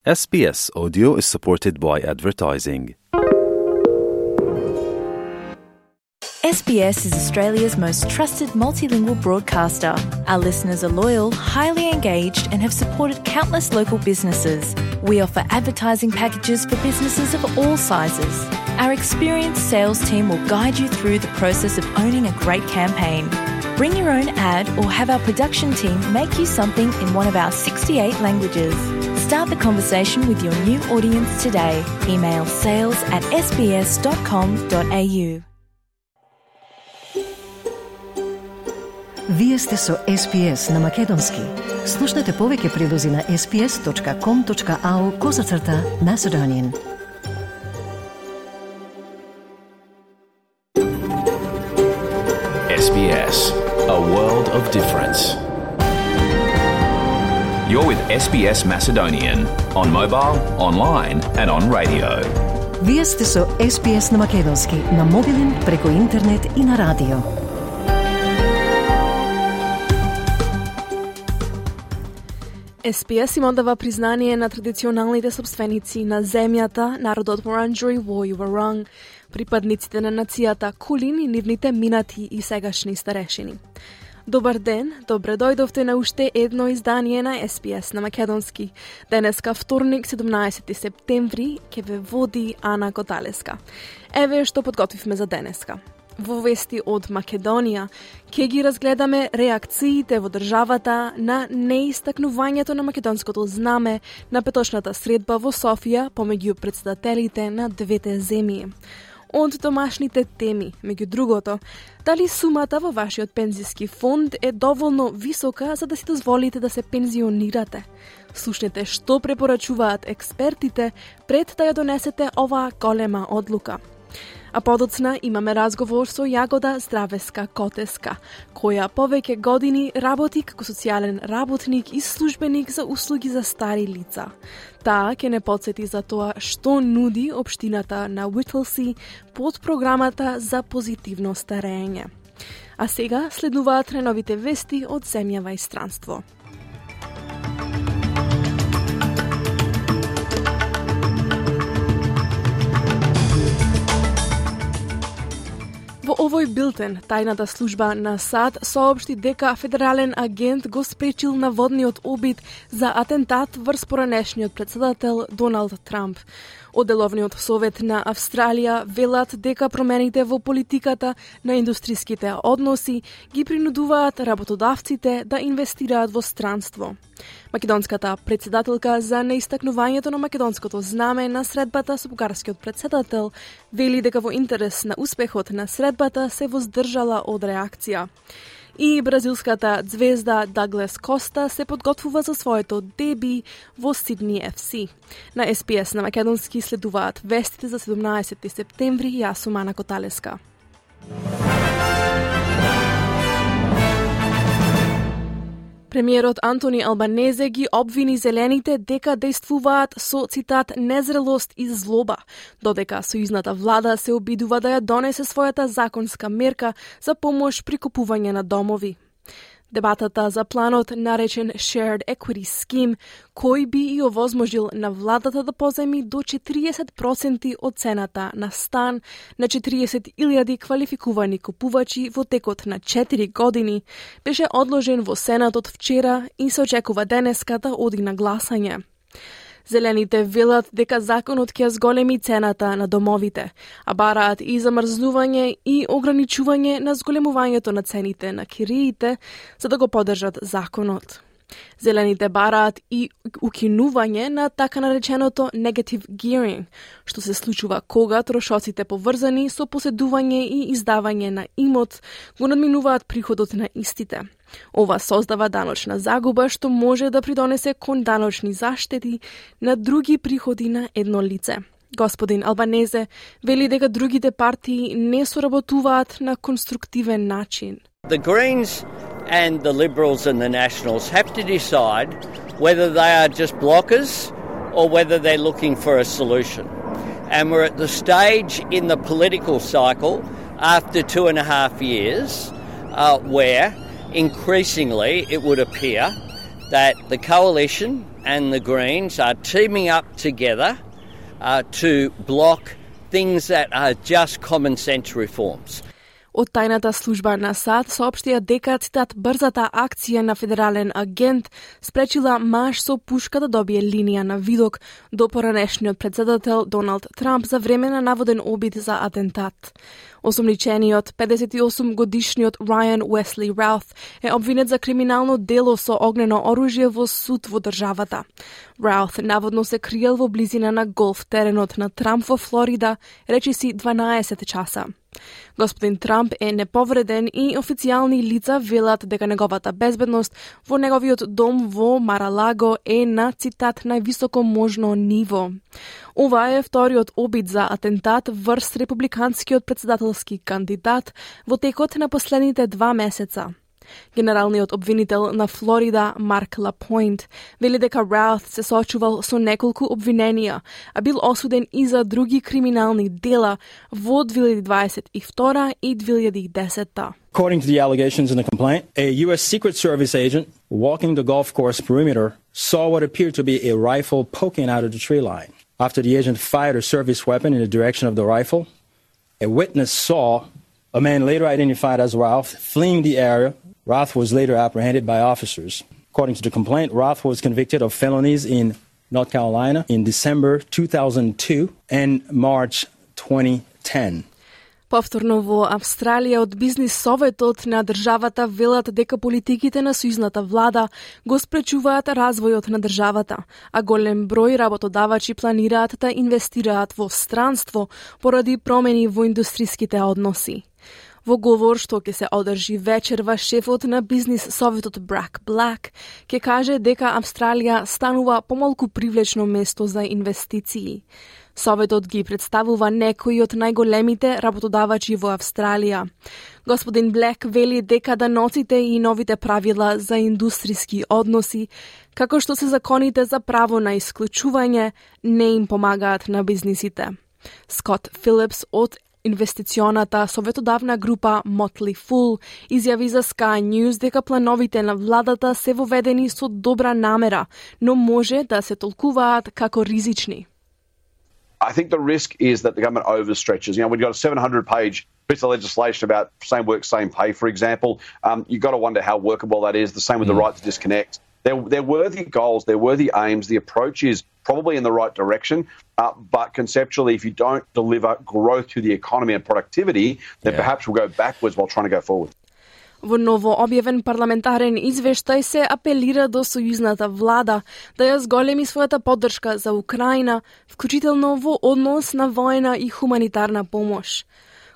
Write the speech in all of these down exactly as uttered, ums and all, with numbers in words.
S B S Audio is supported by advertising. S B S is Australia's most trusted multilingual broadcaster. Our listeners are loyal, highly engaged, and have supported countless local businesses. We offer advertising packages for businesses of all sizes. Our experienced sales team will guide you through the process of owning a great campaign. Bring your own ad or have our production team make you something in one of our sixty-eight languages. Start the conversation with your new audience today. Email sales at s b s dot com dot a u. Вие сте со С Б С на Македонски. Слушнете повеќе прилози на s b s dot com dot a u козацрта Macedonian. S B S, a world of difference. You're with S B S Macedonian on mobile, online and on radio. Вие сте со С Б С на Македонски, на мобилен, преку интернет и на радио. С Б С им одава признание на традиционалните собственици на земјата, народот Вуранџури во Юваранг, припадниците на нацијата Кулин и нивните минати и сегашни старешини. Добар ден, добре дојдовте на уште едно издание на С Б С на Македонски. Денеска вторник, седумнаесети септември, ќе ве води Ана Коталеска. Еве што подготвивме за денеска. Во вести од Македонија ќе ги разгледаме реакциите во државата на неистакнувањето на македонското знаме на петочната средба во Софија помеѓу претседателите на двете земји. Од домашните теми, меѓу другото, дали сумата во вашиот пензиски фонд е доволно висока за да си дозволите да се пензионирате? Слушнете што препорачуваат експертите пред да ја донесете оваа голема одлука. А подоцна имаме разговор со Јагода Здравеска-Котеска, која повеќе години работи како социјален работник и службеник за услуги за стари лица. Таа ќе не подсети за тоа што нуди општината на Уитлси под програмата за позитивно старење. А сега следуваат најновите вести од земјава и странство. Во овој билтен, тајната служба на САД соопшти дека федерален агент го спречил наводниот обид за атентат врз поранешниот претседател Доналд Трамп. Одделовниот совет на Австралија велат дека промените во политиката на индустриските односи ги принудуваат работодавците да инвестираат во странство. Македонската претседателка за неистакнувањето на македонското знаме на средбата со бугарскиот претседател вели дека во интерес на успехот на средбата се воздржала од реакција. И бразилската звезда Даглас Коста се подготвува за своето деби во Сидни Ф С. На С Б С на Македонски следуваат вестите за седумнаесети септември. Јас сум Ана Коталеска. Премиерот Антони Албанезе ги обвини зелените дека действуваат со, цитат, незрелост и злоба, додека сојузната влада се обидува да ја донесе својата законска мерка за помош при купување на домови. Дебатата за планот наречен Shared Equity Scheme, кој би и овозможил на владата да поземи до четириесет проценти од цената на стан на четириесет илјади квалификувани купувачи во текот на четири години, беше одложен во Сенатот вчера и се очекува денеска да оди на гласање. Зелените велат дека законот ќе зголеми цената на домовите, а бараат и замрзнување и ограничување на зголемувањето на цените на кириите, за да го поддржат законот. Зелените бараат и укинување на така нареченото negative gearing, што се случува кога трошоците поврзани со поседување и издавање на имот го надминуваат приходот на истите. Ова создава даночна загуба што може да придонесе кон даночни заштети на други приходи на едно лице. Господин Албанезе вели дека другите партии не соработуваат на конструктивен начин. The Greens and the Liberals and the Nationals have to decide whether they are just blockers or whether they're looking for a solution. And we're at the stage in the political cycle after two and a half years uh, where increasingly it would appear that the coalition and the Greens are teaming up together uh, to block things that are just common sense reforms. Од тајната служба на САД соопштија дека, цитат, брзата акција на федерален агент спречила маж со пушка да добие линија на видок до поранешниот претседател Доналд Трамп за време на наводен обид за атентат. Осомничениот педесет и осум годишниот Райан Уесли Раут е обвинет за криминално дело со огнено оружје во суд во државата. Раут наводно се криел во близина на голф теренот на Трамп во Флорида, речиси дванаесет часа. Господин Трамп е неповреден и официјални лица велат дека неговата безбедност во неговиот дом во Маралаго е на, цитат, највисоко можно ниво. Ова е вториот обид за атентат врз републиканскиот претседателски кандидат во текот на последните два месеца. Генералниот обвинител на Флорида, Марк Лапойнт, вели дека Раут се соочувал со неколку обвиненија, а бил осуден и за други криминални дела во две илјади дваесет и втора и две илјади и десета. According to the allegations in the complaint, a U S Secret Service agent walking the golf course perimeter saw what appeared to be a rifle poking out of the tree line. After the agent fired a service weapon in the direction of the rifle, a witness saw a man later identified as Ralph fleeing the area. Roth was later apprehended by officers. According to the complaint, Roth was convicted of felonies in North Carolina in December two thousand two and March twenty ten. Повторно во Австралија од бизнис советот на државата велат дека политиките на сојузната влада го спречуваат развојот на државата, а голем број работодавачи планираат да инвестираат во странство поради промени во индустриските односи. Во говор што ќе се одржи вечерва, шефот на бизнис советот Брак Блак ќе каже дека Австралија станува помалку привлечно место за инвестиции. Советот ги представува некои од најголемите работодавачи во Австралија. Господин Блек вели дека даноците и новите правила за индустриски односи, како што се законите за право на исклучување, не им помагаат на бизнисите. Скот Филипс од инвестиционата советодавна група Motley Fool изјави за Sky News дека плановите на владата се воведени со добра намера, но може да се толкуваат како ризични. I think the risk is that the government overstretches. You know, we've got a seven hundred page piece of legislation about same work, same pay, for example. Um, you've got to wonder how workable that is. The same with the right to disconnect. They're, they're worthy goals, they're worthy aims. The approach is probably in the right direction, uh, but conceptually, if you don't deliver growth to the economy and productivity, then yeah. perhaps we'll go backwards while trying to go forward. Во ново објавен парламентарен извештај се апелира до сојузната влада да ја зголеми својата поддршка за Украина, вклучително во однос на воена и хуманитарна помош.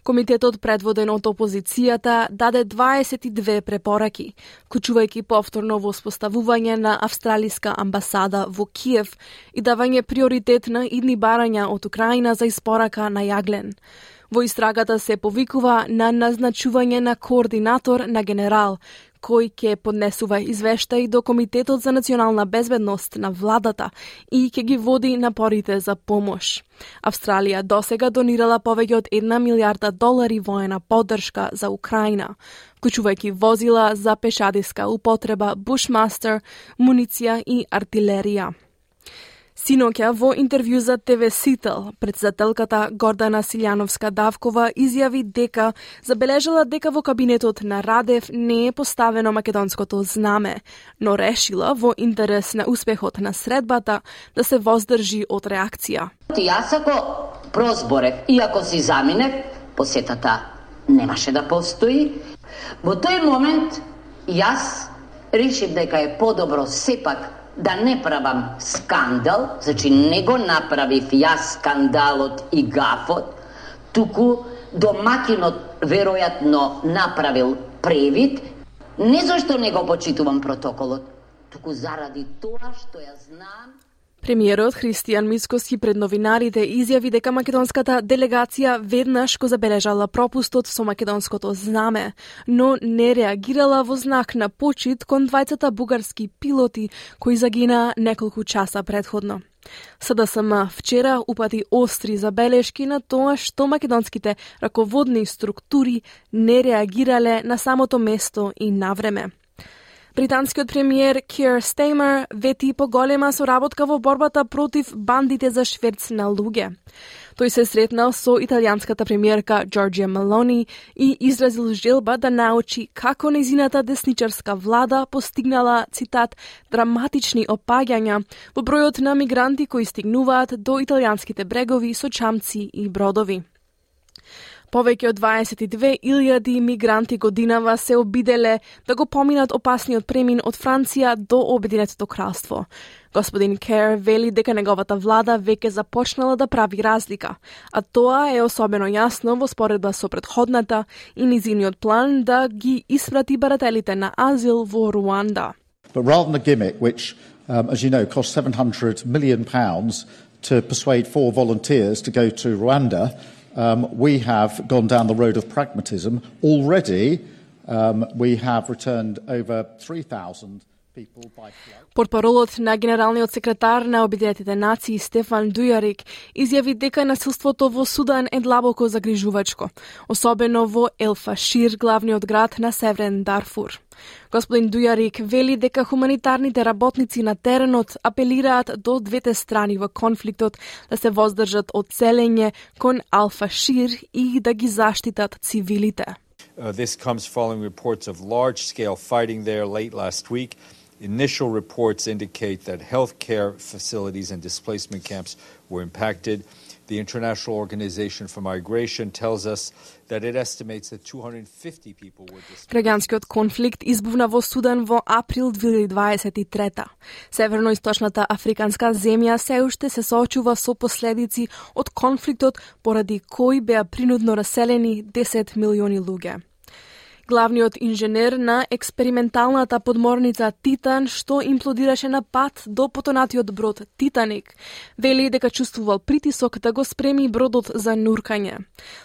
Комитетот предводен од опозицијата даде дваесет и две препораки, вклучувајќи повторно воспоставување на австралиска амбасада во Киев и давање приоритет на идни барања од Украина за испорака на јаглен. Во истрагата се повикува на назначување на координатор на генерал, кој ќе поднесува извештај до Комитетот за национална безбедност на владата и ќе ги води напорите за помош. Австралија досега донирала повеќе од една милијарда долари воена поддршка за Украина, вклучувајќи возила за пешадиска употреба, Bushmaster, муниција и артилерија. Синоќа во интервју за Те Ве Сител, претседателката Гордана Силјановска-Давкова изјави дека забележала дека во кабинетот на Радев не е поставено македонското знаме, но решила во интерес на успехот на средбата да се воздржи од реакција. Јас ако прозборев и ако си заминев, посетата немаше да постои. Во тој момент јас решив дека е подобро сепак да не правам скандал, значи не го направив јас скандалот и гафот, туку домакинот веројатно направил превид, не зашто не го почитувам протоколот, туку заради тоа што ја знам. Премиерот Христијан Мицкоски пред новинарите изјави дека македонската делегација веднаш го забележала пропустот со македонското знаме, но не реагирала во знак на почит кон двајцата бугарски пилоти кои загинаа неколку часа предходно. С Д С М вчера упати остри забелешки на тоа што македонските раководни структури не реагирале на самото место и навреме. Британскиот премиер Keir Starmer вети поголема соработка во борбата против бандите за шверц на луѓе. Тој се сретнал со италијанската премиерка Джорџија Мелони и изразил желба да научи како нејзината десничарска влада постигнала, цитат, драматични опаѓања во бројот на мигранти кои стигнуваат до италијанските брегови со чамци и бродови. Повеќе од дваесет и две илјади мигранти годинава се обиделе да го поминат опасниот премин од Франција до Обединетото кралство. Господин Кер вели дека неговата влада веќе започнала да прави разлика, а тоа е особено јасно во споредба со претходната и низиниот план да ги испрати барателите на азил во Руанда. But rather than a gimmick which, um, as you know, cost seven hundred million pounds to persuade four volunteers to go to Rwanda, Um, we have gone down the road of pragmatism. Already, um, we have returned over three thousand people by flight. Портпаролот на генералниот секретар на Обединетите нации Стефан Дујарик изјави дека насилството во Судан е длабоко загрижувачко, особено во Ел Фашир, главниот град на Северен Дарфур. Господин Дујарик вели дека хуманитарните работници на теренот апелираат до двете страни во конфликтот да се воздржат од селење кон Ал Фашир и да ги заштитат цивилите. Uh, this comes following reports of large-scale fighting there late last week. Initial reports indicate that healthcare facilities and displacement camps were impacted. The International Organization for Migration tells us that it estimates that two hundred fifty people were displaced. Граѓанскиот конфликт избувна во Судан во април две илјади дваесет и трета. Северно-источната африканска земја се уште се соочува со последици од конфликтот поради кој беа принудно раселени десет милиони луѓе. Главниот инженер на експерименталната подморница Титан, што имплодираше на пат до потонатиот брод Титаник, вели дека чувствувал притисок да го спреми бродот за нуркање.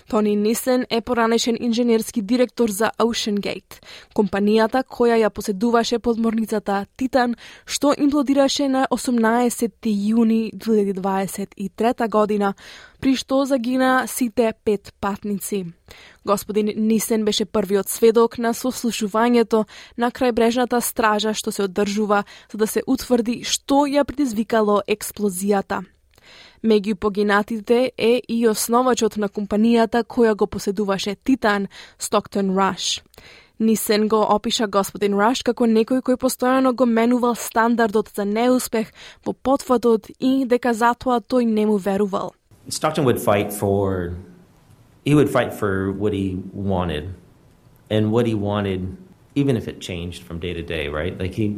Тони Нисен е поранешен инженерски директор за OceanGate, компанијата која ја поседуваше подморницата Титан, што имплодираше на осумнаесети јуни две илјади дваесет и трета година, при што загина сите пет патници. Господин Нисен беше првиот сведок на сослушувањето на крајбрежната стража што се одржува за да се утврди што ја предизвикало експлозијата. Меѓу погинатите е и основачот на компанијата која го поседуваше Титан, Стоктон Раш. Нисен го опиша господин Раш како некој кој постојано го менувал стандардот за неуспех во потфатот и дека затоа тој не му верувал. Stockton would fight for he would fight for what he wanted, and what he wanted, even if it changed from day to day, right? Like he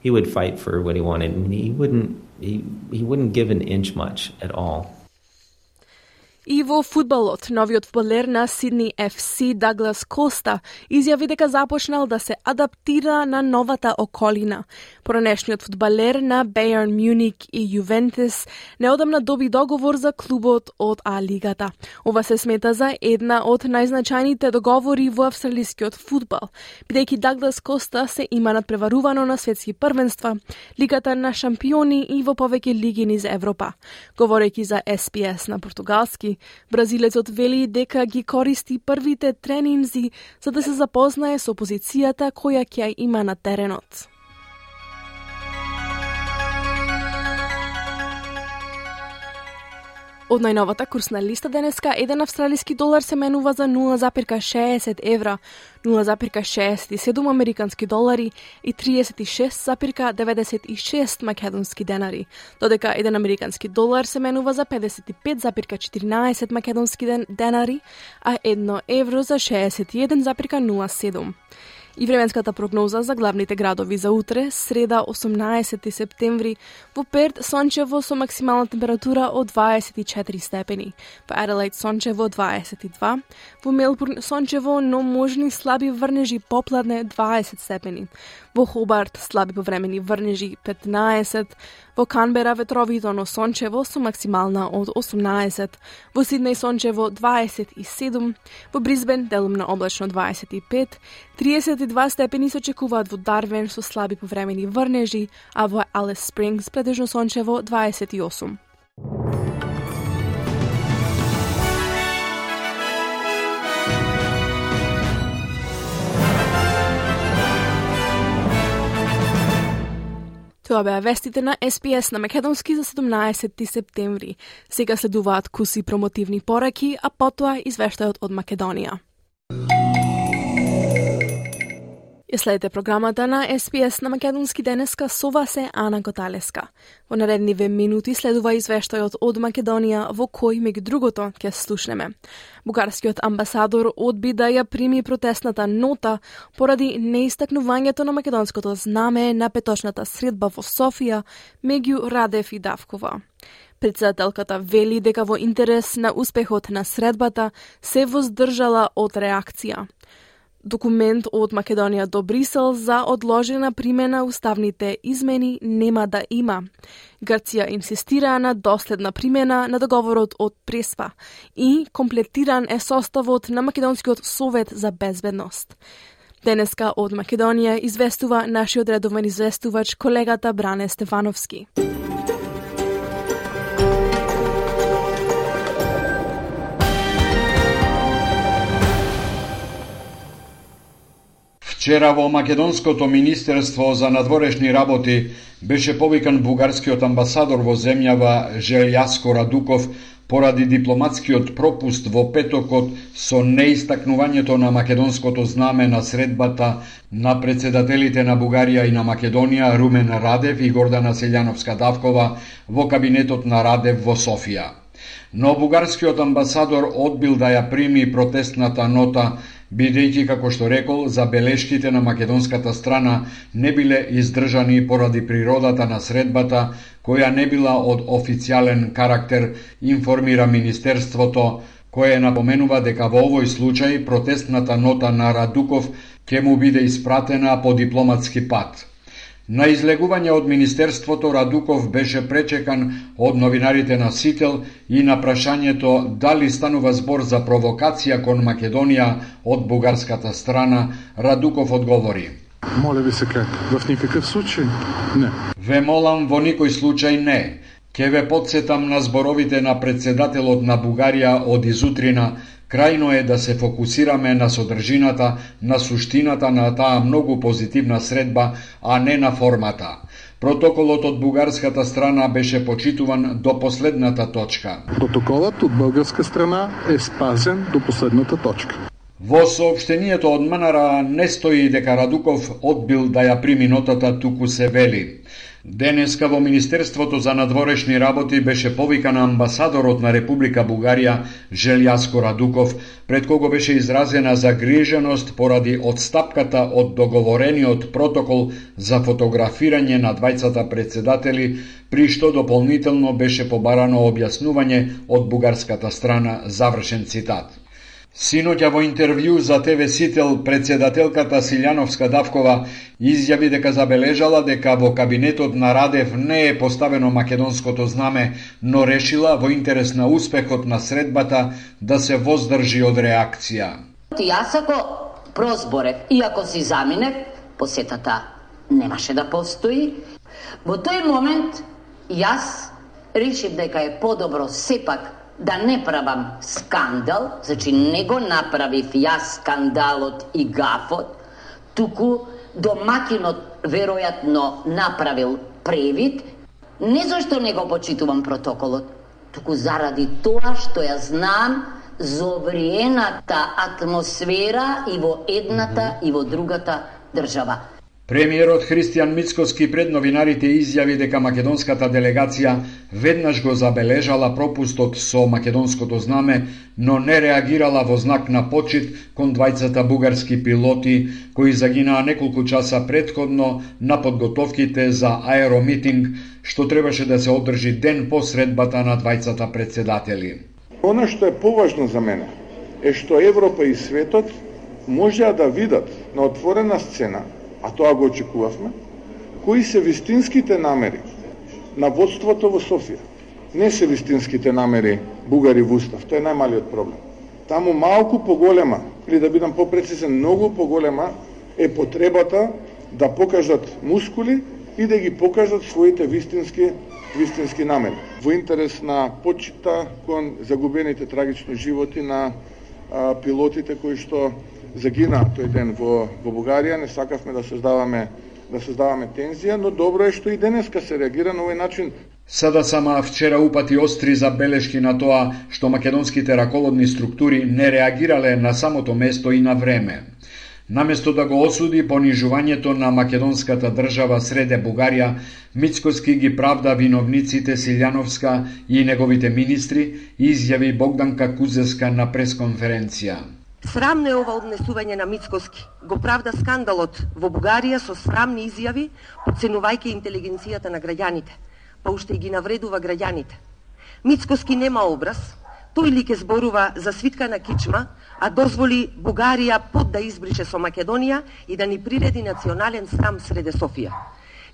he would fight for what he wanted, and he wouldn't he he wouldn't give an inch much at all. И во фудбалот, новиот фудбалер на Сидни Еф Си Даглас Коста изјави дека започнал да се адаптира на новата околина. Поранешниот фудбалер на Бајерн Мюник и Јувентус неодамна доби договор за клубот од А-лигата. Ова се смета за една од најзначајните договори во австралискиот фудбал, бидејќи Даглас Коста се има надпреварувано на светски првенства, Лигата на шампиони и во повеќе лиги низ Европа. Говорејќи за Ес Би Ес на португалски, бразилецот вели дека ги користи првите тренинзи за да се запознае со позицијата која ќе има на теренот. Од најновата курсна листа денеска, еден австралиски долар се менува за нула запирка шеесет евра, нула запирка шеесет и седум американски долари и триесет и шест запирка деветдесет и шест македонски денари, додека еден американски долар се менува за педесет и пет запирка четиринаесет македонски денари, а едно евро за шеесет и еден запирка нула седум. И временската прогноза за главните градови за утре, среда осумнаесети септември, во Перт сончево со максимална температура од дваесет и четири степени, во Аделаид сончево дваесет и два, во Мелбурн сончево, но можни слаби врнежи попладне дваесет степени, во Хобарт слаби повремени врнежи петнаесет, во Канбера ветровито но сончево со максимална од осумнаесет, во Сиднеј сончево дваесет и седум, во Брисбен делумно облачно дваесет и пет, триесет и два степени се очекуваат во Дарвин со слаби повремени врнежи, а во Алис Спрингс претежно сончево дваесет и осум. Тоа беа вестите на Ес Би Ес на македонски за седумнаесети септември. Сега следуваат куси промотивни пораки, а потоа извештајот од Македонија. Ја следите програмата на Ес Би Ес на македонски денеска, со вас е Ана Готалеска. Во наредниве минути следува извештајот од Македонија, во кој, меѓу другото, ќе слушнеме. Бугарскиот амбасадор одби да ја прими протестната нота поради неистакнувањето на македонското знаме на петочната средба во Софија меѓу Радев и Давкова. Председателката вели дека во интерес на успехот на средбата се воздржала од реакција. Документ од Македонија до Брисел за одложена примена уставните измени нема да има. Грција инсистира на доследна примена на договорот од Преспа и комплетиран е составот на Македонскиот совет за безбедност. Денеска од Македонија известува нашиот редовен известувач колегата Бране Стефановски. Вчера во Македонското министерство за надворешни работи беше повикан бугарскиот амбасадор во земјава Желјаско Радуков поради дипломатскиот пропуст во петокот со неистакнувањето на македонското знаме на средбата на председателите на Бугарија и на Македонија Румен Радев и Гордана Селјановска-Давкова во кабинетот на Радев во Софија. Но бугарскиот амбасадор одбил да ја прими протестната нота, бидејќи, како што рекол, забелешките на македонската страна не биле издржани поради природата на средбата, која не била од официјален карактер, информира Министерството, кое напоменува дека во овој случај протестната нота на Радуков ќе му биде испратена по дипломатски пат. На излегување од Министерството, Радуков беше пречекан од новинарите на Сител и на прашањето дали станува збор за провокација кон Македонија од бугарската страна, Радуков одговори: Моля ви се как, в никакъв случай не. Ве молам во никој случај не. Ке ве подсетам на зборовите на председателот на Бугарија од изутрина. Крајно е да се фокусираме на содржината, на суштината на таа многу позитивна средба, а не на формата. Протоколот од бугарската страна беше почитуван до последната точка. Протоколот од бугарска страна е спазен до последната точка. Во соопштението од МНР не стои дека Радуков одбил да ја прими нотата, туку се вели: денеска во Министерството за надворешни работи беше повикан амбасадорот на Република Бугарија Желјаско Радуков, пред кого беше изразена загриженост поради одстапката од договорениот протокол за фотографирање на двајцата председатели, при што дополнително беше побарано објаснување од бугарската страна, завршен цитат. Синоќа во интервју за Те Ве Сител, председателката Селјановска-Давкова изјави дека забележала дека во кабинетот на Радев не е поставено македонското знаме, но решила во интерес на успехот на средбата да се воздржи од реакција. Јас ако прозборев и ако си заминев, посетата немаше да постои. Во тој момент јас решив дека е подобро сепак да не правам скандал, значи не го направив јас скандалот и гафот, туку домакинот веројатно направил превид, не зашто не го почитувам протоколот, туку заради тоа што ја знам зовриената атмосфера и во едната и во другата држава. Премиерот Христијан Мицкоски пред новинарите изјави дека македонската делегација веднаш го забележала пропустот со македонското знаме, но не реагирала во знак на почит кон двајцата бугарски пилоти кои загинаа неколку часа претходно на подготовките за аеромитинг, што требаше да се одржи ден по средбата на двајцата председатели. Она што е поважно за мене е што Европа и светот можеа да видат на отворена сцена, а тоа го очекувавме, кои се вистинските намери на водството во Софија. Не се вистинските намери бугари во устав, тоа е најмалиот проблем. Таму малку поголема, или да бидам попрецизен, многу поголема е потребата да покажат мускули и да ги покажат своите вистински вистински намери. Во интерес на почита кон загубените трагични животи на а, пилотите кои што загинаа тој ден во, во Бугарија, не сакавме да создаваме да создаваме тензија, но добро е што и денеска се реагира на овој начин. Сада сама вчера упати остри забелешки на тоа што македонските раководни структури не реагирале на самото место и на време. Наместо да го осуди понижувањето на македонската држава среде Бугарија, Мицкоски ги правда виновниците Силјановска и неговите министри, изјави Богданка Кузеска на пресконференција. Срамно е ова однесување на Мицкоски. Го правда скандалот во Бугарија со срамни изјави, подценувајќи интелигенцијата на граѓаните, па уште и ги навредува граѓаните. Мицкоски нема образ, тој ли ке зборува за свитка на кичма, а дозволи Бугарија под да избрише со Македонија и да ни приреди национален срам среде Софија.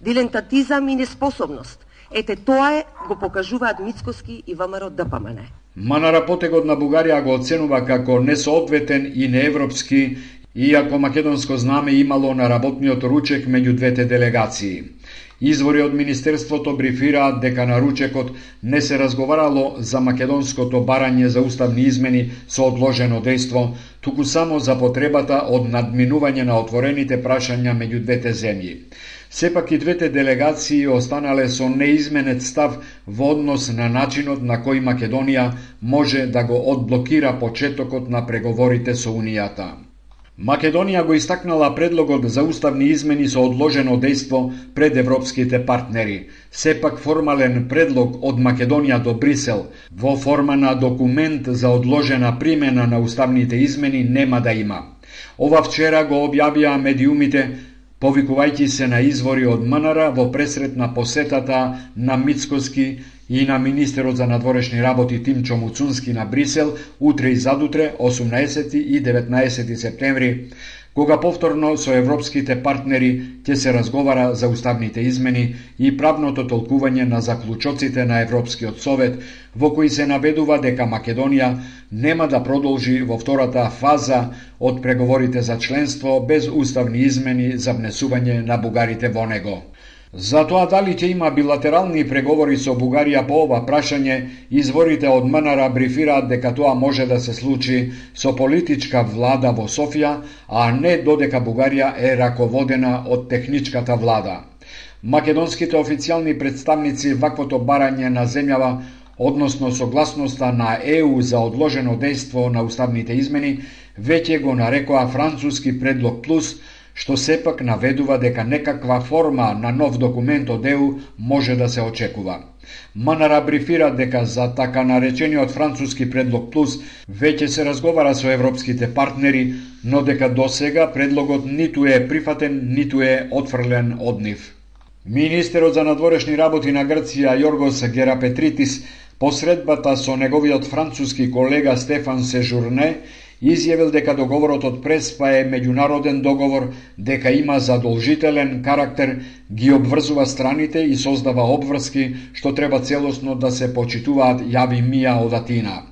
Дилентатизам и неспособност. Ете тоа е, го покажуваат Мицкоски и ВМРО ДПМН. Манара потегот на Бугарија го оценува како несоодветен и неевропски, иако македонско знаме имало на работниот ручек меѓу двете делегации. Извори од Министерството брифираат дека на ручекот не се разговарало за македонското барање за уставни измени со одложено дејство, туку само за потребата од надминување на отворените прашања меѓу двете земји. Сепак и двете делегации останале со неизменет став во однос на начинот на кој Македонија може да го одблокира почетокот на преговорите со Унијата. Македонија го истакнала предлогот за уставни измени со одложено дејство пред европските партнери. Сепак формален предлог од Македонија до Брисел во форма на документ за одложена примена на уставните измени нема да има. Ова вчера го објавија медиумите, повикувајќи се на извори од МНР во пресрет на посетата на Мицкоски и на министерот за надворешни работи Тимчо Муцунски на Брисел утре и задутре, осумнаесети и деветнаесети септември, кога повторно со европските партнери ќе се разговара за уставните измени и правното толкување на заклучоците на Европскиот совет, во кои се наведува дека Македонија нема да продолжи во втората фаза од преговорите за членство без уставни измени за внесување на бугарите во него. За тоа дали ќе има билатерални преговори со Бугарија по ова прашање, изворите од МНР брифираат дека тоа може да се случи со политичка влада во Софија, а не додека Бугарија е раководена од техничката влада. Македонските официјални представници ваквото барање на земјава, односно согласноста на ЕУ за одложено дејство на уставните измени, веќе го нарекоа француски предлог плюс, што сепак наведува дека некаква форма на нов документ од ЕУ може да се очекува. МНР брифира дека за така наречениот француски предлог плюс веќе се разговара со европските партнери, но дека досега предлогот ниту е прифатен, ниту е отфрлен од нив. Министерот за надворешни работи на Грција Јоргос Герапетритис по средбата со неговиот француски колега Стефан Сежурне изјавил дека договорот од Преспа е меѓународен договор, дека има задолжителен карактер, ги обврзува страните и создава обврски што треба целосно да се почитуваат јави мија од Атина.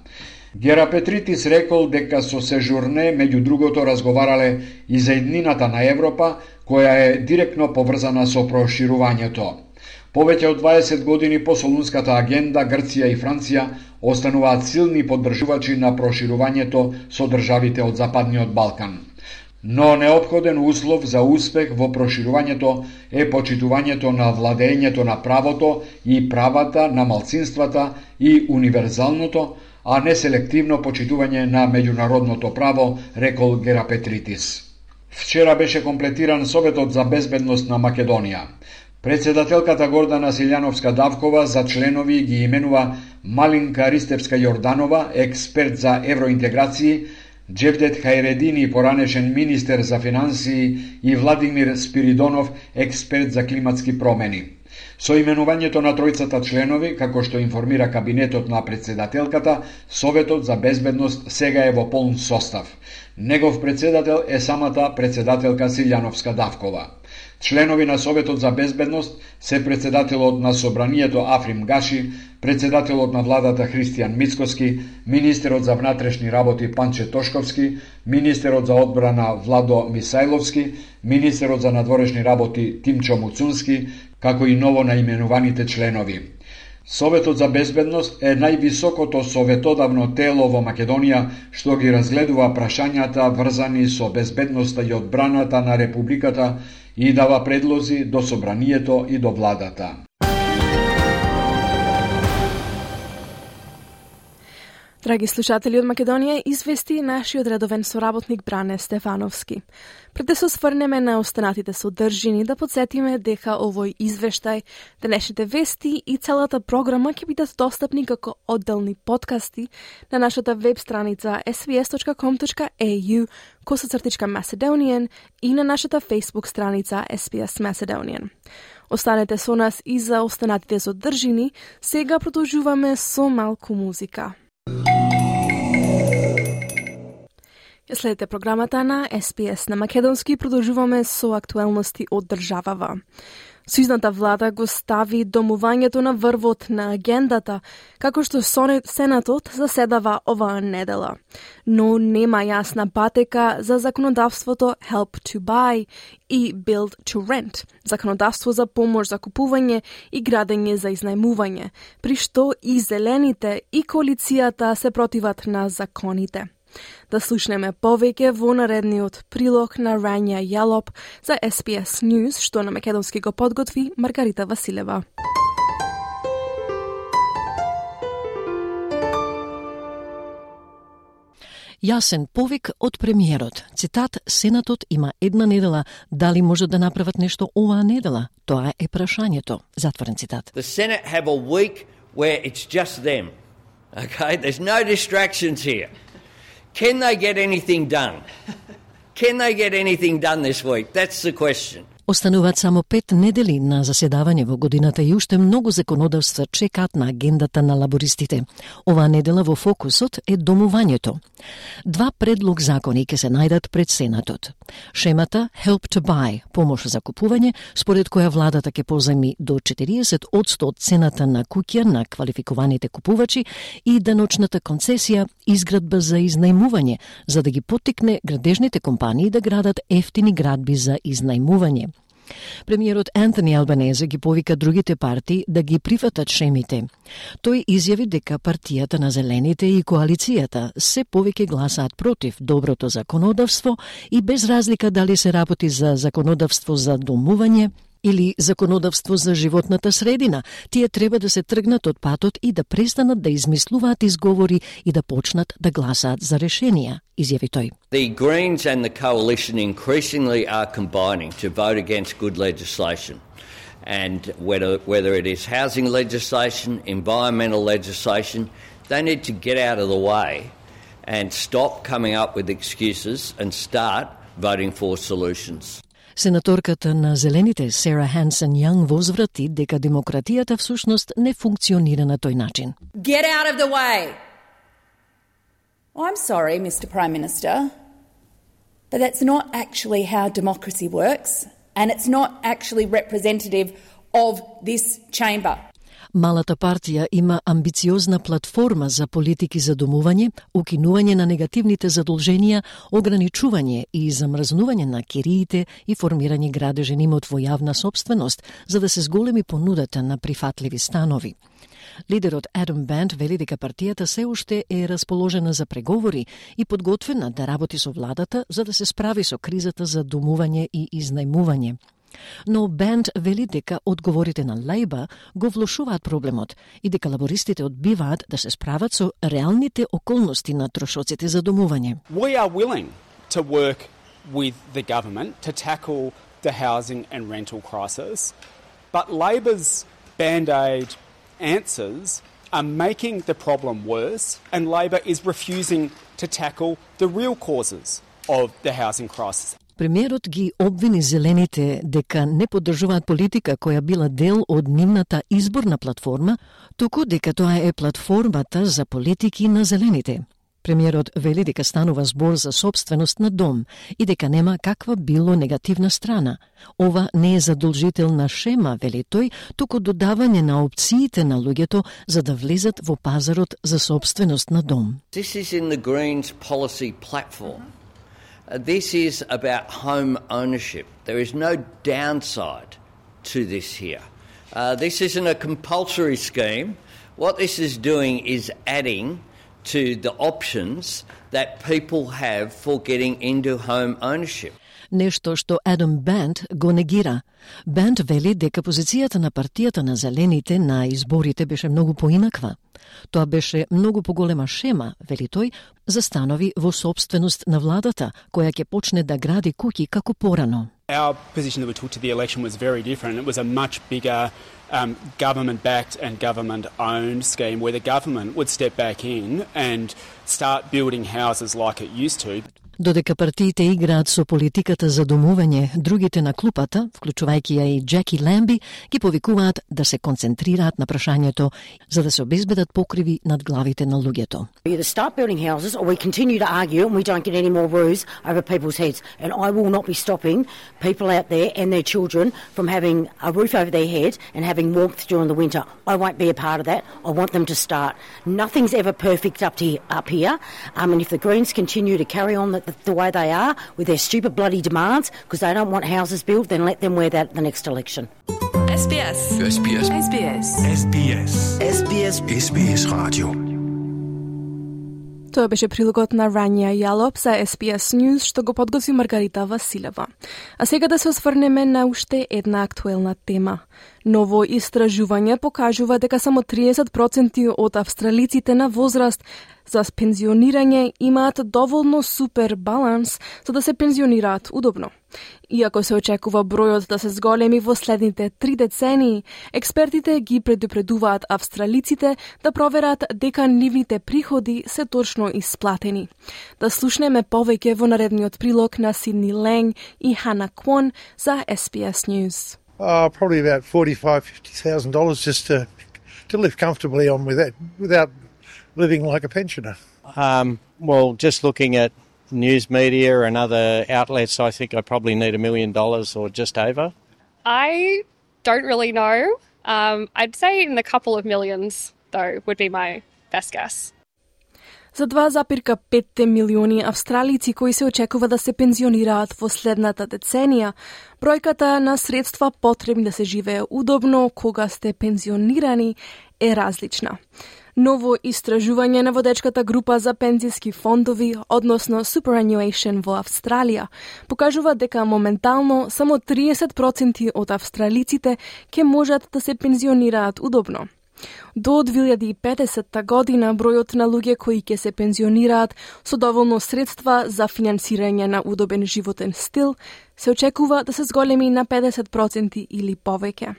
Герапетритис рекол дека со Сежурне меѓу другото разговарале и за иднината на Европа, која е директно поврзана со проширувањето. Повеќе од дваесет години по Солунската агенда, Грција и Франција остануваат силни поддржувачи на проширувањето со државите од Западниот Балкан. Но неопходен услов за успех во проширувањето е почитувањето на владењето на правото и правата на малцинствата и универзалното, а не селективно почитување на меѓународното право, рекол Герапетритис. Вчера беше комплетиран Советот за безбедност на Македонија. Председателката Гордана Силјановска-Давкова за членови ги именува Малинка Ристевска Јорданова, експерт за евроинтеграции, Джевдет Хајредини, поранешен министер за финансии, и Владимир Спиридонов, експерт за климатски промени. Со именувањето на тројцата членови, како што информира кабинетот на председателката, Советот за безбедност сега е во полн состав. Негов председател е самата председателка Силјановска-Давкова. Членови на Советот за безбедност се председателот на Собранието Африм Гаши, председателот на владата Христијан Мицкоски, министерот за внатрешни работи Панче Тошковски, министерот за одбрана Владо Мисајловски, министерот за надворешни работи Тимчо Муцунски, како и ново наименуваните членови. Советот за безбедност е највисокото советодавно тело во Македонија што ги разгледува прашањата врзани со безбедноста и одбраната на Републиката и дава предлози до собранието и до владата. Драги слушатели, од Македонија извести нашиот редовен соработник Бране Стефановски. Пред да се осврнеме на останатите содржини, да подсетиме дека овој извештај, денешните вести и целата програма ќе бидат достапни како одделни подкасти на нашата веб страница ес би ес точка ком точка ей ю косацртичка Macedonian и на нашата Facebook страница ес би ес Macedonian. Останете со нас и за останатите содржини, сега продолжуваме со малку музика. Следете програмата на ес би ес на македонски, продолжуваме со актуелности од државава. Сојузната влада го стави домувањето на врвот на агендата, како што Сенатот заседава оваа недела. Но нема јасна патека за законодавството Help to Buy и Build to Rent, законодавство за помош за купување и градење за изнајмување, при што и зелените и коалицијата се противат на законите. Да слушнеме повеќе во наредниот прилог на Рања Јалоп за ес би ес News, што на македонски го подготви Маргарита Василева. Јасен повик од премиерот. Цитат: Сенатот има една недела, дали може да направат нешто оваа недела? Тоа е прашањето. Затворен цитат. The Senate have a week where it's just them. Okay, there's no distractions here. Can they get anything done? Can they get anything done this week? That's the question. Остануваат само пет недели на заседавање во годината и уште многу законодавства чекаат на агендата на лабористите. Оваа недела во фокусот е домувањето. Два предлог закони ќе се најдат пред Сенатот. Шемата Help to Buy, помош за купување, според која владата ќе позајми до четириесет одсто од цената на куќа на квалификуваните купувачи, и даночната концесија изградба за изнајмување, за да ги поттикне градежните компании да градат ефтини градби за изнајмување. Премиерот Антони Албанезе ги повика другите партии да ги прифатат шемите. Тој изјави дека партијата на Зелените и коалицијата се повеќе гласаат против доброто законодавство и без разлика дали се работи за законодавство за домување или законодавство за животната средина, тие треба да се тргнат од патот и да престанат да измислуваат изговори и да почнат да гласаат за решенија, изјави тој. The Greens and the coalition increasingly are combining to vote against good legislation. And whether, whether it is housing legislation, environmental legislation, they need to get out of the way and stop coming up with excuses and start voting for solutions. Сенаторката на Зелените Сара Хансен Јанг возврати дека демократијата всушност не функционира на тој начин. Get out of the way. I'm sorry, Mister Prime Minister, but that's not actually how democracy works, and it's not actually representative of this chamber. Малата партија има амбициозна платформа за политики за домување, укинување на негативните задолженија, ограничување и замрзнување на кириите и формирање градежен имот во јавна собственост, за да се зголеми понудата на прифатливи станови. Лидерот Адам Банд вели дека партијата се уште е расположена за преговори и подготвена да работи со владата за да се справи со кризата за домување и изнајмување. Но Банд вели дека одговорите на Лейба го влошуваат проблемот и дека лабористите одбиваат да се справат со реалните околности на трошоците за домување. We are willing to work with the government to tackle the housing and rental crisis, but Labor's band-aid answers are making the problem worse, and Labor is refusing to tackle the real causes of the housing crisis. Премиерот ги обвини Зелените дека не поддржуваат политика која била дел од нивната изборна платформа, туку дека тоа е платформата за политики на Зелените. Премиерот вели дека станува збор за собственост на дом и дека нема каква било негативна страна. Ова не е задолжителна шема, вели тој, туку додавање на опциите на луѓето за да влезат во пазарот за собственост на дом. This is in the Greens policy platform. Uh, this is about home ownership. There is no downside to this here. Uh, this isn't a compulsory scheme. What this is doing is adding to the options that people have for getting into home ownership. Нешто што Адам Бент го негира. Бент вели дека позицијата на партијата на зелените на изборите беше многу поинаква. Тоа беше многу поголема шема, вели тој, за станови во собственост на владата, која ќе почне да гради куќи како порано. Our position that we took to the election was very different. It was a much bigger um, government-backed and government-owned scheme where the government would step back in and start building houses like it used to. Додека партиите играат со политиката за домување, другите на клупата, вклучувајќи ја и Джеки Ламби, ги повикуваат да се концентрираат на прашањето за да се обезбедат покриви над главите на луѓето. We either start building houses or we continue to argue and we don't get any more roofs over people's heads. And I will not be stopping people out there and their children from having a roof over their heads and having warmth during the winter. I won't be a part of that. I want them to start. Nothing's ever perfect up to up here. Um, and if the Greens continue to carry on the, the, the way they are with their stupid bloody demands because they don't want houses built, then let them wear that at the next election. S B S. S B S. S B S. S B S. S B S. S B S Radio. Тоа беше прилогот на Рания Јалоп за С Б С News, што го подготви Маргарита Василева. А сега да се осврнеме на уште една актуелна тема. Ново истражување покажува дека само триесет проценти од австралиците на возраст за пензионирање имаат доволно супер баланс за да се пензионираат удобно. Иако се очекува бројот да се зголеми во следните три децении, експертите ги предупредуваат австралиците да проверат дека нивните приходи се точно исплатени. Да слушнеме повеќе во наредниот прилог на Сидни Ланг и Хана Квон за С Б С News. Uh, probably about forty-five, fifty thousand dollars just to to live comfortably on with that, without living like a pensioner. Um, well, just looking at news media and other outlets, I think I probably need a million dollars or just over. I don't really know. Um, I'd say in the couple of millions, though, would be my best guess. За два запирка пет милиони австралици кои се очекува да се пензионираат во следната деценија, бројката на средства потребни да се живее удобно кога сте пензионирани е различна. Ново истражување на водечката група за пензиски фондови, односно Superannuation во Австралија, покажува дека моментално само триесет проценти од австралиците ќе можат да се пензионираат удобно. До две илјади и педесета година бројот на луѓе кои ќе се пензионираат со доволно средства за финансирање на удобен животен стил се очекува да се зголеми на педесет проценти или повеќе.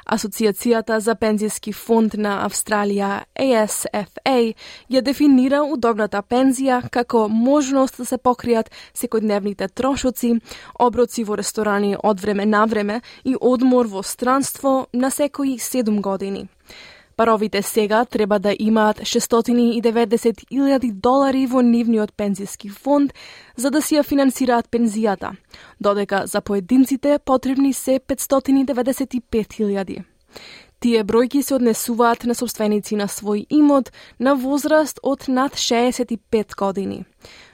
Асоцијацијата за пензиски фонд на Австралија, А С Ф А, ја дефинира удобната пензија како можност да се покријат секојдневните трошоци, оброци во ресторани од време на време и одмор во странство на секои седум години. Паровите сега треба да имаат шестстотини и деветдесет илјади долари во нивниот пензиски фонд за да си ја финансираат пензијата, додека за поединците потребни се петстотини деветдесет и пет илјади. Тие бројки се однесуваат на собственици на свој имот на возраст од над шеесет и пет години.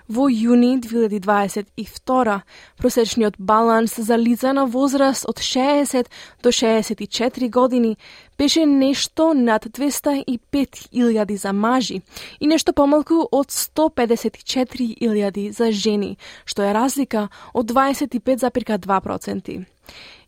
Во јуни две илјади дваесет и втора, просечниот баланс за лица на возраст од шеесет до шеесет и четири години беше нешто над двеста и пет илјади за мажи и нешто помалку од сто педесет и четири илјади за жени, што е разлика од дваесет и пет запирка два проценти.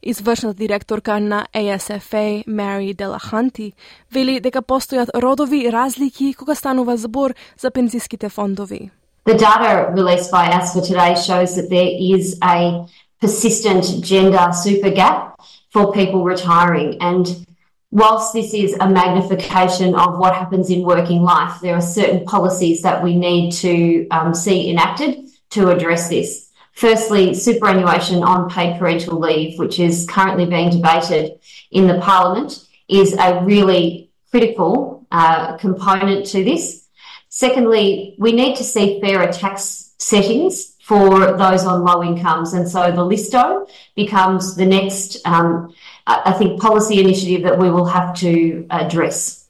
Извршната директорка на А С Ф А, Мари Делаханти, вели дека постојат родови разлики кога станува збор за пензиските фондови. The data released by A S F A today shows that there is a persistent gender super gap for people retiring. And whilst this is a magnification of what happens in working life, there are certain policies that we need to um, see enacted to address this. Firstly, superannuation on paid parental leave, which is currently being debated in the Parliament, is a really critical uh, component to this. Secondly, we need to see fairer tax settings for those on low incomes, and so the LISTO becomes the next, um, I think, policy initiative that we will have to address.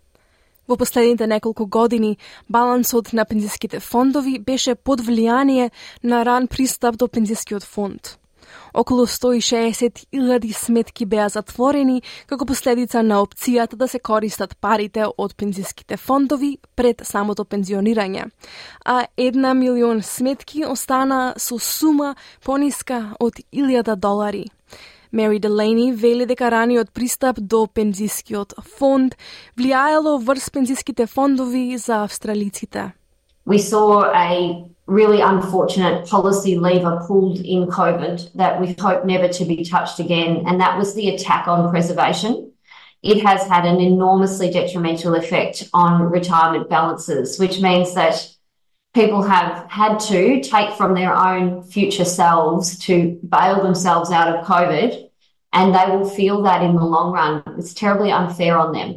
Во последните неколку години, балансот на пензиските фондови беше под влијание на ран пристап до пензискиот фонд. Околу сто и шеесет илјади сметки беа затворени како последица на опцијата да се користат парите од пензиските фондови пред самото пензионирање, а една милион сметки остана со сума пониска од илјада долари. Мери Делейни вели дека раниот пристап до пензискиот фонд влијаело врз пензиските фондови за австралиците. We saw a really unfortunate policy lever pulled in COVID that we hope never to be touched again, and that was the attack on preservation. It has had an enormously detrimental effect on retirement balances, which means that people have had to take from their own future selves to bail themselves out of COVID, and they will feel that in the long run. It's terribly unfair on them.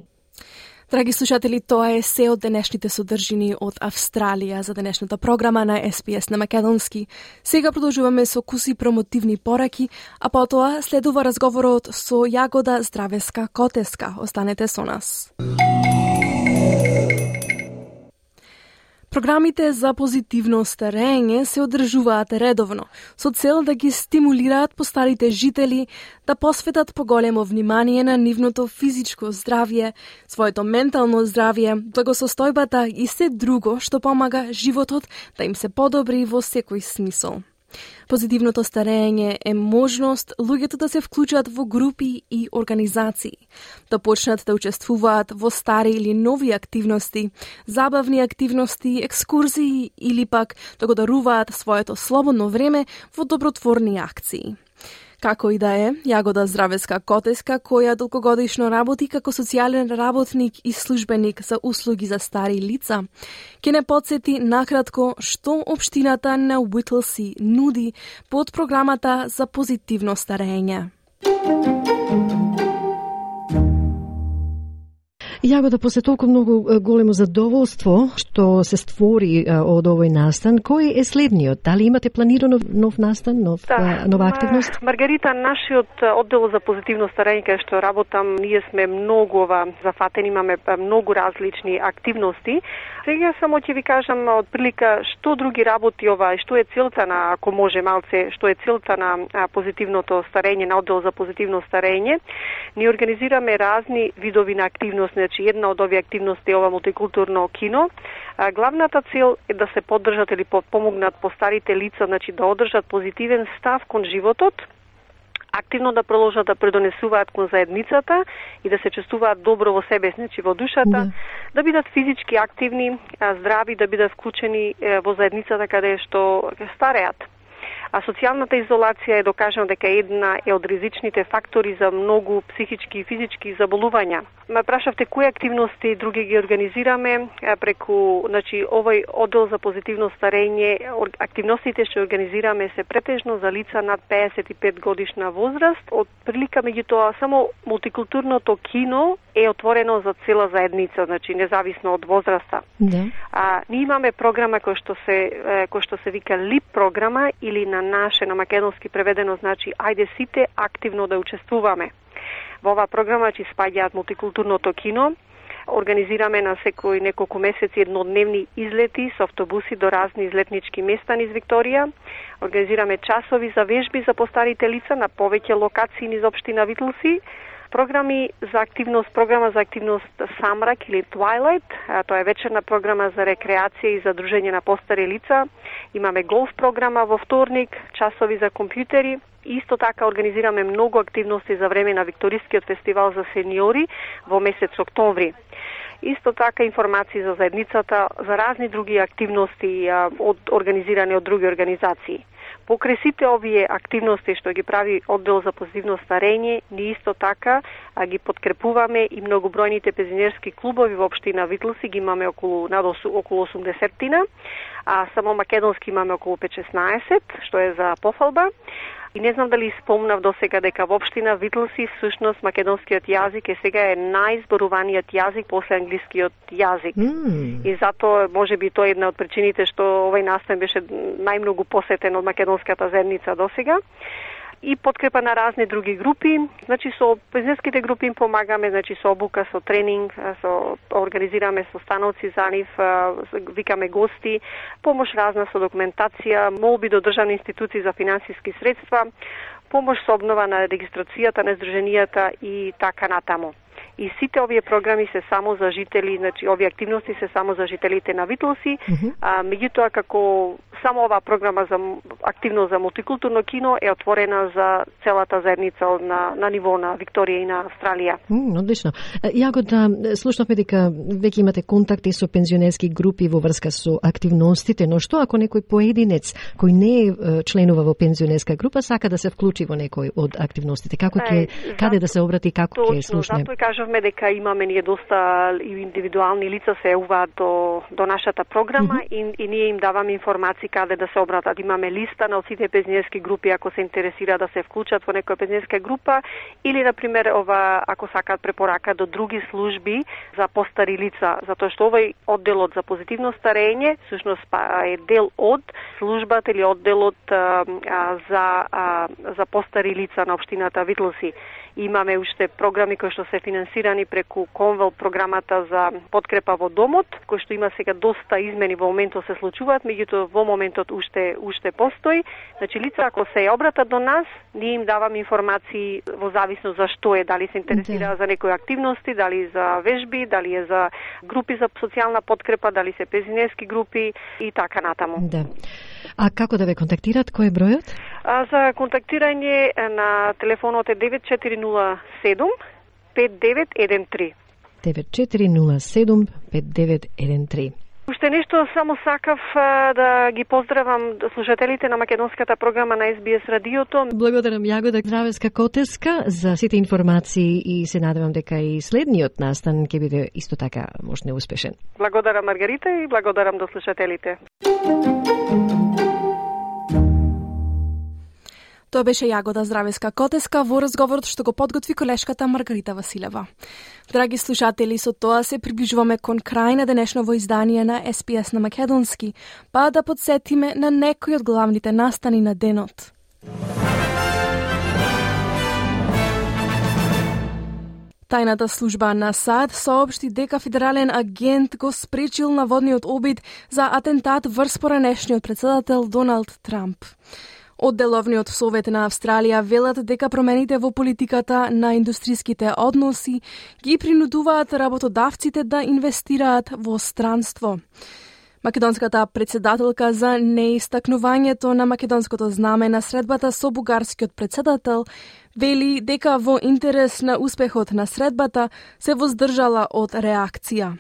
Драги слушатели, тоа е се од денешните содржини од Австралија за денешната програма на Ес Би Ес на македонски. Сега продолжуваме со куси промотивни пораки, а потоа следува разговорот со Јагода Здравеска-Котеска. Останете со нас. Програмите за позитивно старење се одржуваат редовно, со цел да ги стимулираат постарите жители да посветат поголемо внимание на нивното физичко здравје, своето ментално здравје, благосостојбата и се друго што помага животот да им се подобри во секој смисол. Позитивното старење е можност луѓето да се вклучат во групи и организации, да почнат да учествуваат во стари или нови активности, забавни активности, екскурзии или пак да го даруваат своето слободно време во добротворни акции. Како и да е, Јагода Здравеска-Котеска, која долгогодишно работи како социјален работник и службеник за услуги за стари лица, ќе не подсети накратко што општината на Уитлси нуди под програмата за позитивно старење. Јагода, после толку многу големо задоволство што се створи од овој настан, кој е следниот? Дали имате планирано нов настан, нов, да, нова активност? Маргарита, нашиот оддел за позитивно старење кај што работам, ние сме многу зафатени, имаме многу различни активности. Сега само ќе ви кажам од прилика што други работи ова и што е целта на, ако може малце, што е целта на позитивното старење, на оддел за позитивно старење. Ние организираме разни видови на активност. Значи, една од овие активности е ова мултикултурно кино. А, главната цел е да се поддржат или помогнат постарите лица, значи да одржат позитивен став кон животот, активно да продолжат да предонесуваат кон заедницата и да се чувствуваат добро во себе, значи во душата, да, да бидат физички активни, здрави, да бидат вклучени во заедницата каде што стареат. А социјалната изолација е докажано дека една е од ризичните фактори за многу психички и физички заболувања. Ме прашавте кои активности други ги организираме преку, значи, овој оддел за позитивно старење. Активностите што организираме се претежно за лица над пеесет и пет годишна возраст. Од прилика меѓутоа само мултикултурното кино е отворено за цела заедница, значи независно од возраста. Да. А ние имаме програма кој што се кој што се вика ЛИП програма или на наше, на македонски преведено значи ајде сите активно да учествуваме. Во оваа програма ќе спаѓаат мултикултурното кино. Организираме на секој неколку месеци еднодневни излети со автобуси до разни излетнички места низ Викторија. Организираме часови за вежби за постарите лица на повеќе локации низ општина Витлси. Програми за активност, програма за активност Самрак или Twilight, тоа е вечерна програма за рекреација и за дружење на постари лица. Имаме голф програма во вторник, часови за компјутери. Исто така организираме многу активности за време на Викторискиот фестивал за сениори во месец октомври. Исто така информации за заедницата, за разни други активности од организирани од други организации. Покрај сите овие активности што ги прави оддел за позитивно старење, ние исто така а, ги подкрепуваме и многобројните пензионерски клубови во општина Витлси, ги имаме околу над околу осумдесеттина, а само македонски имаме околу петнаесет, што е за пофалба. И не знам дали спомнав до сега дека во општина Витлси всушност македонскиот јазик е сега е најзборуваниот јазик после англискиот јазик. Mm. И затоа можеби тоа е една од причините што овој настан беше најмногу посетен од македонската заедница до сега. И подкрепа на разни други групи. Значи со пензионерските групи им помагаме, значи со обука, со тренинг, со организираме состановци за нив, викаме гости, помош разна со документација, молби до државни институции за финансиски средства. помош со обнова на регистрацијата на здруженијата и така натаму. И сите овие програми се само за жители, значи овие активности се само за жителите на Витлоси, mm-hmm. а меѓутоа како само оваа програма за активно за мултикултурно кино е отворена за целата заедница на на ниво на Викторија и на Австралија. Mm, одлично. Јагода, слушнавме дека веќе имате контакти со пензионерски групи во врска со активностите, но што ако некој поединец кој не е членува во пензионерска група сака да се вклучи во некој од активностите? Како ќе каде да се обрати, како ќе слушне? Затоа кажавме дека имаме ние доста индивидуални лица се јавуваат до до нашата програма mm-hmm. и, и ние им даваме информации каде да се обратат. Имаме листа на сите пензионерски групи ако се интересира да се вклучат во некоја пензионерска група или на пример ова ако сакаат препорака до други служби за постари лица, затоа што овој одделот за позитивно старење всушност е дел од службата или одделот а, а, за а, за постари лица на општината Витлоси. Имаме уште програми кои што се финансирани преку Конвел програмата за подкрепа во домот, кој што има сега доста измени во моментот се случуваат, меѓутоа во моментот уште уште постои. Значи лица ако се обратат до нас, ние им даваме информации во зависност за што е, дали се интересира за некои активности, дали за вежби, дали е за групи за социјална подкрепа, дали се пензионерски групи и така натаму. Да. А како да ве контактираат? Кој е бројот? А, за контактирање на телефонот е девет четири нула седум пет девет еден три. девет четири нула седум пет девет еден три. Уште нешто само сакав а, да ги поздравам слушателите на македонската програма на Ес Би Ес радиото. Благодарам Јагода Здравеска Котеска за сите информации и се надевам дека и следниот настан ќе биде исто така можно успешен. Благодарам Маргарита и благодарам до слушателите. Тоа беше Јагода Здравеска Котеска во разговорот што го подготви колешката Маргарита Василева. Драги слушатели, со тоа се приближуваме кон крај на денешново издание на Ес Би Ес на македонски, па да подсетиме на некои од главните настани на денот. Тајната служба на САД соопшти дека федерален агент го спречил наводниот обид за атентат врз поранешниот председател Доналд Трамп. Одделовниот совет на Австралија велат дека промените во политиката на индустриските односи ги принудуваат работодавците да инвестираат во странство. Македонската председателка за неистакнувањето на македонското знаме на средбата со бугарскиот председател вели дека во интерес на успехот на средбата се воздржала од реакција.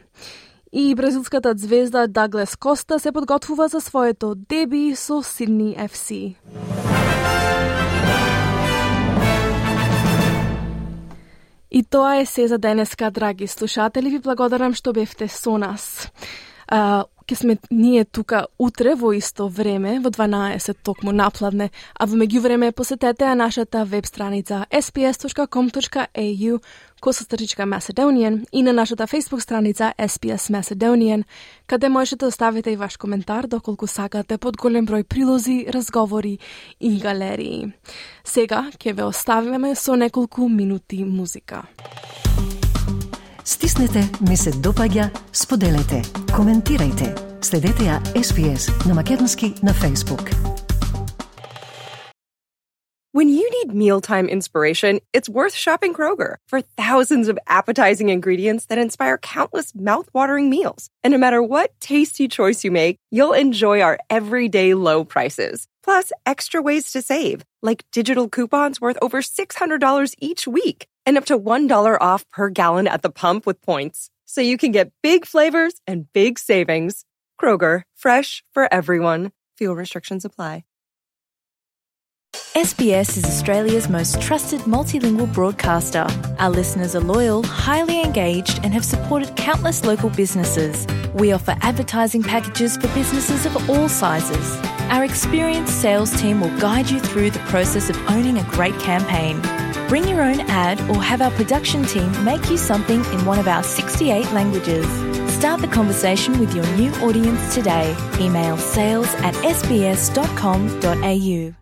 И бразилската звезда Даглес Коста се подготвува за своето деби со Сидни Еф Си. И тоа е се за денеска, драги слушатели. Ви благодарам што бевте со нас. Uh, ке сме ние тука утре во исто време, во дванаесет токму напладне, а во меѓувреме посетете ја нашата веб страница ес би ес точка ком точка ей ю косастричка Macedonian и на нашата Facebook страница Ес Би Ес Macedonian, каде можете да оставите и ваш коментар доколку сакате под голем број прилози, разговори и галерии. Сега ќе ве оставиме со неколку минути музика. Стиснете, ми се допаѓа, споделете, коментирајте. Следете ја Ес Би Ес на македонски на Facebook. When you need mealtime inspiration, it's worth shopping Kroger for thousands of appetizing ingredients that inspire countless mouth-watering meals. And no matter what tasty choice you make, you'll enjoy our everyday low prices. Plus, extra ways to save, like digital coupons worth over six hundred dollars each week and up to one dollar off per gallon at the pump with points. So you can get big flavors and big savings. Kroger, fresh for everyone. Fuel restrictions apply. S B S is Australia's most trusted multilingual broadcaster. Our listeners are loyal, highly engaged, and have supported countless local businesses. We offer advertising packages for businesses of all sizes. Our experienced sales team will guide you through the process of owning a great campaign. Bring your own ad or have our production team make you something in one of our sixty-eight languages. Start the conversation with your new audience today. Email sales at s b s dot com dot a u.